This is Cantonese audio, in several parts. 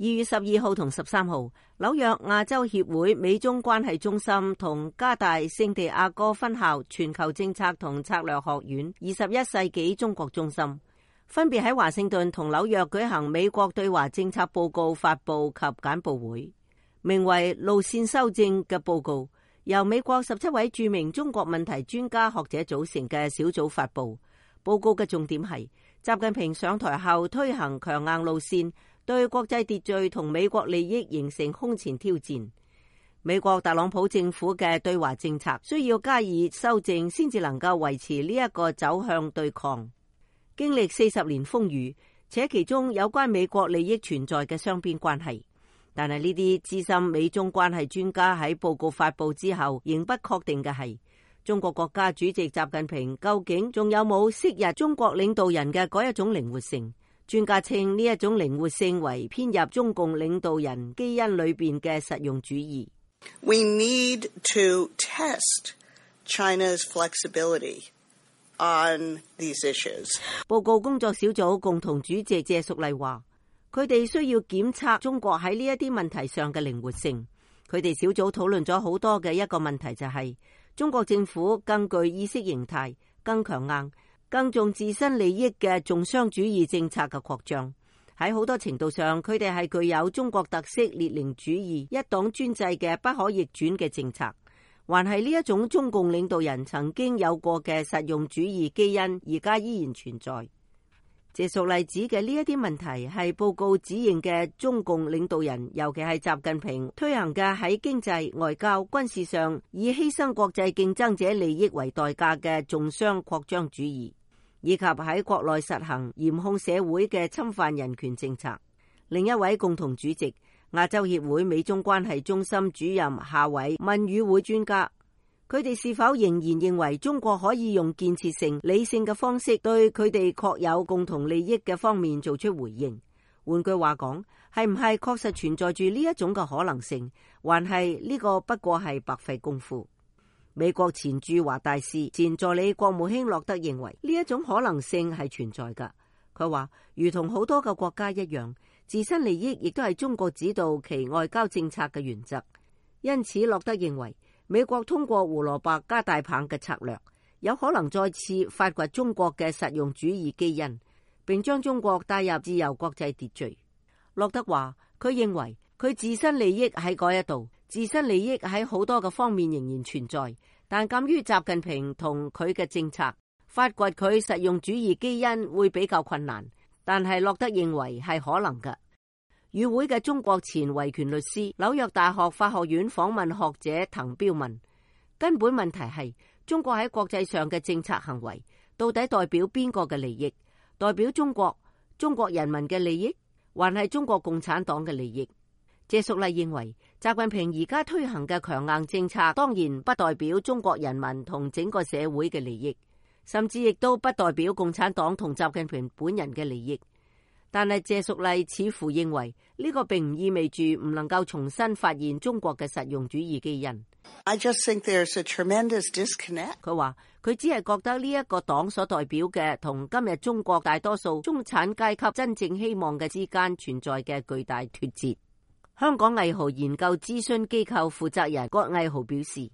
2月12號同13號，紐約亞洲協會美中關係中心同加大聖地亞哥分校全球政策同策略學院21世紀中國中心，分別喺華盛頓同紐約舉行美國對華政策報告發佈及簡報會，名為路線修正嘅報告，由美國17位著名中國問題專家學者組成嘅小組發佈。報告嘅重點係習近平上台後推行強硬路線，對國際秩序同美國利益形成空前挑戰。美國特朗普政府嘅對華政策需要加以修正，先至能夠維持呢一個走向對抗。經歷40年風雨，且其中有關美國利益存在嘅雙邊關係，但係呢啲資深美中關係專家喺報告發佈之後，仍不確定嘅係，中國國家主席習近平究竟仲有冇昔日中國領導人嘅嗰一種靈活性？專家稱呢一種靈活性為編入中共領導人基因裏邊嘅實用主義。We need to test China's flexibility on these issues. 報告工作小組共同主席謝淑麗話，佢哋需要檢測中國喺呢一啲問題上嘅靈活性。佢哋小組討論咗好多嘅一個問題就係，中國政府更具意識形態、更強硬、更重自身利益嘅重商主義政策嘅擴張，喺好多程度上，佢哋係具有中國特色列寧主義一黨專制嘅不可逆轉嘅政策，還係呢一種中共領導人曾經有過嘅實用主義基因，而家依然存在。謝淑麗指嘅呢一啲問題係報告指認嘅中共領導人，尤其係習近平推行嘅喺經濟、外交、軍事上以犧牲國際競爭者利益為代價嘅重商擴張主義，以及喺國內實行嚴控社會嘅侵犯人權政策。另一位共同主席亞洲協會美中關係中心主任夏偉問與會專家，佢哋是否仍然認為中國可以用建設性、理性嘅方式對佢哋確有共同利益嘅方面做出回應？換句話講，係唔係確實存在住呢一種嘅可能性，還係呢個不過係白費功夫？美國前駐華大使、前助理國務卿洛德認為呢一種可能性係存在㗎。佢話，如同好多個國家一樣，自身利益亦都係中國指導其外交政策嘅原則。因此，洛德認為美國通過胡蘿蔔加大棒嘅策略，有可能再次發掘中國嘅實用主義基因，並將中國帶入自由國際秩序。洛德話，佢認為佢自身利益喺嗰一度，自身利益喺好多嘅方面仍然存在，但鑒於習近平同佢嘅政策，發掘佢實用主義基因會比較困難。但係洛德認為係可能嘅。與會嘅中國前維權律師、紐約大學法學院訪問學者滕彪問，根本問題係中國喺國際上嘅政策行為到底代表邊個嘅利益？代表中國人民嘅利益，還係中國共產黨嘅利益？謝淑麗認為，習近平而家推行嘅強硬政策當然不代表中國人民同整個社會嘅利益，甚至亦都不代表共產黨同習近平本人嘅利益。但係謝淑麗似乎認為呢個並唔意味住唔能夠重新發現中國嘅實用主義基因。I just think there's a tremendous disconnect. 佢話佢只係覺得呢一個黨所代表嘅同今日中國大多數中產階級真正希望嘅之間存在嘅巨大脫節。香港藝豪研究諮詢機構負責人郭毅豪表示，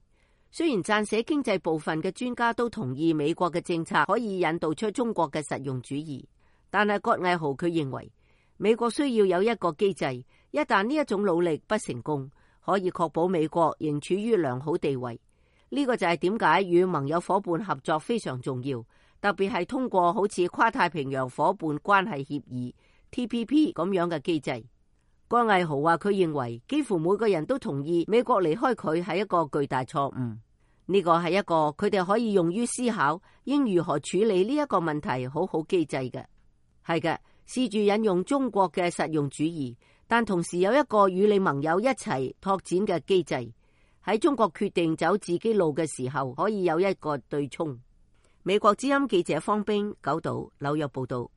雖然撰寫經濟部分嘅專家都同意美國嘅政策可以引導出中國嘅實用主義，但係郭毅豪佢認為美國需要有一個機制，一旦呢一種努力不成功，可以確保美國仍處於良好地位。呢個就係點解與盟友伙伴合作非常重要，特別係通過好似跨太平洋伙伴關係協議 TPP 咁樣嘅機制。郭毅豪話佢認為幾乎每個人都同意美國離開佢係一個巨大錯誤。呢個係一個佢哋可以用於思考應如何處理呢一個問題好好機制嘅。係嘅，試住引用中國嘅實用主義，但同時有一個與你盟友一齊拓展嘅機制。喺中國決定走自己路嘅時候，可以有一個對沖。美國之音記者方冰九島紐約報道。